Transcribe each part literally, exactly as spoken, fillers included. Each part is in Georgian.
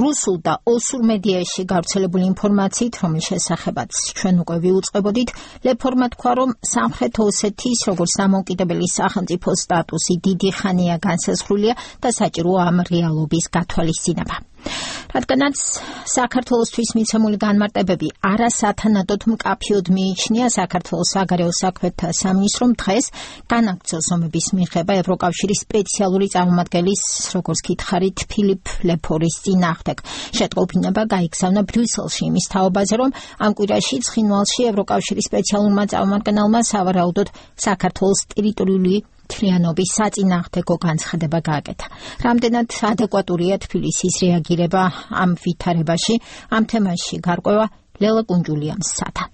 რუსულ და ოსურ მედიაში გავრცელებული ინფორმაციით, რომლის შესახებაც ჩვენ უკვე ვიუწყებოდით, ლეფორმა თქვა, რომ სამხრეთ ოსეთის როგორც დამოუკიდებელი სახელმწიფო სტატუსი დიდი ხანია განსაზღვრულია და საჭიროა ამ რეალობის გათვალისწინება. რადგანაც საქართველოსთვის მიცემული განმარტებები არასათანადოდ მკაფიოდ მიიჩნია, საქართველოს საგარეო საქმეთა სამინისტრომ დღეს განაგრძო ზომების მიღება ევროკავშირის სპეციალური წარმომადგენლის, როგორც გითხარით, ფილიპ ლეფორის წინააღმდეგ. შეტყობინება გაიგზავნა ბრიუსელში იმის თაობაზე, რომ ამ კვირაში ცხინვალში ევროკავშირის სპეციალურმა წარმომადგენელმა სავარაუდოდ საქართველოს ტერიტორიული მთლიანობის საწინააღმდეგო განცხადება გააკეთა. რამდენად ადეკვატურია თბილისის რეაგირება ამ ვითარებაში, ამ თემაში გარკვევა ლელა კუნჯულიამ სათა.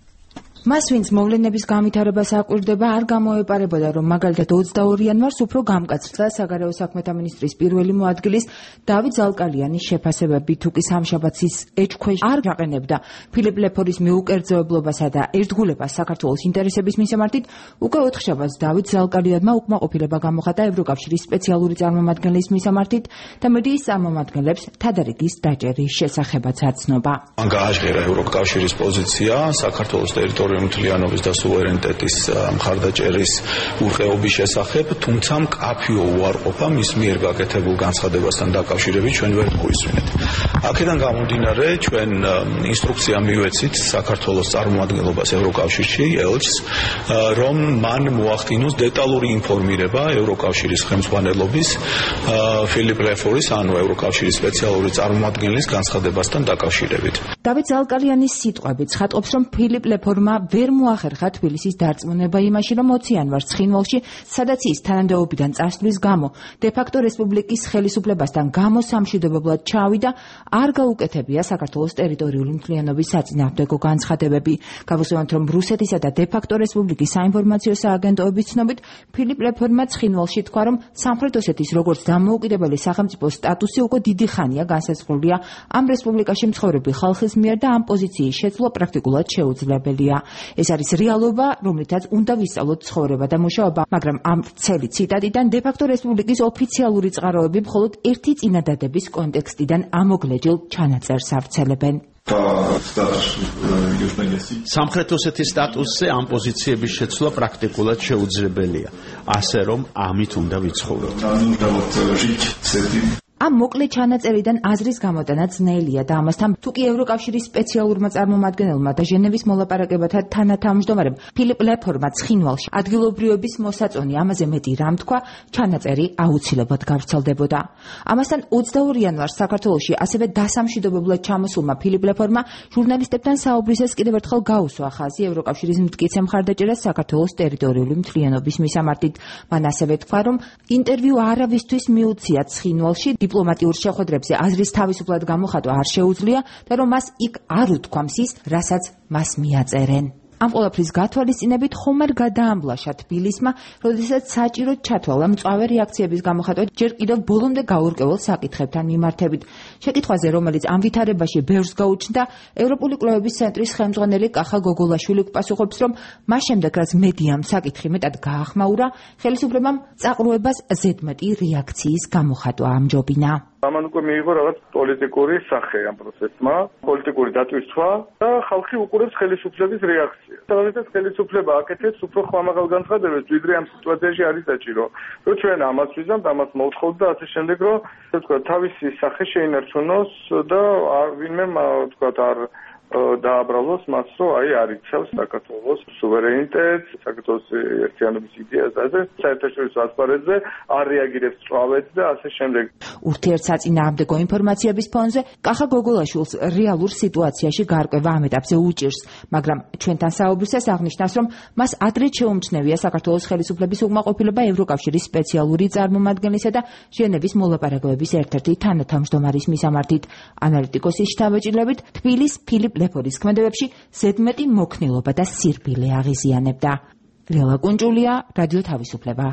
მას, ვინც მოვლენების განვითარებას აკვირდება, არ გამოეპარებოდა, რომ მაგალითად ოცდაორი იანვარს უფრო გამკაცრდა საგარეო საქმეთა მინისტრის პირველი მოადგილის დავით ზალკალიანის შეფასებები, თუ კი სამშაბათს ის ეჭქვეშ არ გაყენებდა ფილიპ ლეფორის მიუკერძოებლობასა და ერთგულებას საქართველოს ინტერესების მისამართით, უკვე ოთხშაბათს დავით ზალკალიანმა უკმაყოფილება გამოხატა ევროკავშირის სპეციალური წარმომადგენლის მისამართით და მედიის წარმომადგენლებს თადარიგის დაჭერის შესახებაც აცნობა. მან გააჟღერა ევროკავშირის პოზიცია საქართველოს ტერიტორიულ მთლიანობის და სუვერენიტეტის მხარდაჭერის ურყეობის შესახებ, თუმცა მკაფიო უარყოფა მის მიერ გაკეთებულ განცხადებასთან დაკავშირებით ჩვენ ვერ გვისმენთ. აქედან გამომდინარე, ჩვენ ინსტრუქცია მივეცით საქართველოს წარმომადგენლობას ევროკავშირში, ელჩს, რომ მან მოახდინოს დეტალური ინფორმირება ევროკავშირის ხელმძღვანელობის ფილიპ ლეფორის, ანუ ევროკავშირის სპეციალური წარმომადგენლის განცხადებასთან დაკავშირებით. დავით ზალკალიანის სიტყვებით ცხადყოფს, რომ ფილიპ ლეფორმა ვერ მოახერხა თბილისის დარწმუნება იმაში, რომ ოცი იანვარს ცხინვალში, სადაც ის თანამდებობიდან წასვლის გამო დე-ფაქტო რესპუბლიკის ხელისუფლებასთან გამოსამშვიდობებლად ჩავიდა, არ გაუკეთებია საქართველოს ტერიტორიული მთლიანობის საწინააღმდეგო განცხადებები. გავუსვამთ, რომ რუსეთისა და დე-ფაქტო რესპუბლიკის საინფორმაციო სააგენტოების ცნობით, ფილიპ ლეფორმა ცხინვალში თქვა, რომ სამხრეთ ოსეთის როგორც დამოუკიდებელი სახელმწიფო სტატუსი უკვე დიდი ხანია განსაზღვრულია ამ რესპუბლიკაში მცხოვრები ხალხის მიერ და ამ პოზიციის შეცვლა პრაქტიკულად შეუძლებელია. ეს არის რეალობა, რომლითაც უნდა ვისწავლოთ ცხოვრება და მუშაობა, მაგრამ ამ ვრცელი ციტატიდან დე-ფაქტო რესპუბლიკის ოფიციალური წყაროები მხოლოდ ერთი წინადადების კონტექსტიდან ამოგლეჯილ ჩანაწერს ავრცელებენ. სამხრეთ ოსეთის სტატუსზე ამ პოზიციების შეცვლა პრაქტიკულად შეუძლებელია, ასე რომ ამით უნდა ვიცხოვროთ. ამ მოკლე ჩანაწერიდან აზრის გამოტანა ძნელია და ამასთან თუ კი ევროკავშირის სპეციალურმა წარმომადგენელმა და ჟენევის მოლაპარაკებათა თანათავმჯდომარემ ფილიპ ლეფორმა ცხინვალში ადგილობრივების მოსაწონი ამაზე მეტი რამ თქვა, ჩანაწერი აუცილებლად გავრცელდებოდა. ამასთან ოცდაორი იანვარს საქართველოში ასევე დასამშვიდობებლად ჩამოსულმა ფილიპ ლეფორმა ჟურნალისტებთან საუბრისას კიდევ ერთხელ გაუსვა ხაზი ევროკავშირის მტკიცე მხარდაჭერას საქართველოს ტერიტორიული მთლიანობის მისამართით. მან ასევე თქვა, რომ ინტერვიუ არავისთვის მიუცია ცხინვალში დიპლომატიურ შეხვედრებზე აზრის თავისუფლად გამოხატვა არ შეუძლია და რომ მას იქ არ უთქვამს ის, რასაც მას მიაწერენ. ამ ყველაფრის გათვალისწინებით ხომ არ გადაამბლაშა თბილისმა, როდესაც საჭიროდ ჩათვალა მწვავე რეაქციების გამოხატვა ჯერ კიდევ ბოლომდე გაურკვეველ საკითხებთან მიმართებით. შეკითხვაზე, რომელიც ამ ვითარებაში ბევრს გაუჩნდა, ევროპული კვლევების ცენტრის ხელმძღვანელი კახა გოგოლაშვილი პასუხობს, რომ მას შემდეგ, რაც მედიამ საკითხი მეტად გაახმაურა, ხელისუფლებამ წაყრუებას ზედმეტი რეაქციის გამოხატვა ამჯობინა. ამან უკვე მიიღო რაღაც პოლიტიკური სახე ამ პროცესმა, პოლიტიკური დატვირთვა და ხალხი უყურებს ხელისუფლების რეაქციას. როდესაც ხელისუფლება აკეთებს უფრო ხმამაღალ განცხადებებს, ვიდრე ამ სიტუაციაში არის საჭირო. რომ ჩვენ ამას ვიზამთ, ამას მოვთხოვთ და ასე შემდეგ, რომ თქვა თავისი სახე შეინარჩუნოს და ვინმე თქვა არ დააბრალოს მას, რომ აი არ იცავს საქართველოს სუვერენიტეტს, საქართველოს ერთიანობის იდეას და ასე საერთაშორისო ასპარეზზე არ რეაგირებს წვავედ და ასე შემდეგ. ურთიერთსაწინააღმდეგო ინფორმაციების ფონზე კახა გოგოლაშვილს რეალურ სიტუაციაში გარკვევა ამ ეტაპზე უჭირს, მაგრამ ჩვენთან საუბრისას აღნიშნავს, რომ მას ადრე შეუმჩნევია საქართველოს ხელისუფლების უკმაყოფილება ევროკავშირის სპეციალური წარმომადგენლისა და ჟენევის მოლაპარაკებების ერთ-ერთი თანათავმჯდომარის მისამართით. ანალიტიკოსის შთაბეჭდილებით, თბილის ფილიპ ლეფორის ქმედებებში ზედმეტი მოქნილობა და სირბილე აღიზიანებდა. ლელა კუნჯულია, რადიო თავისუფლება.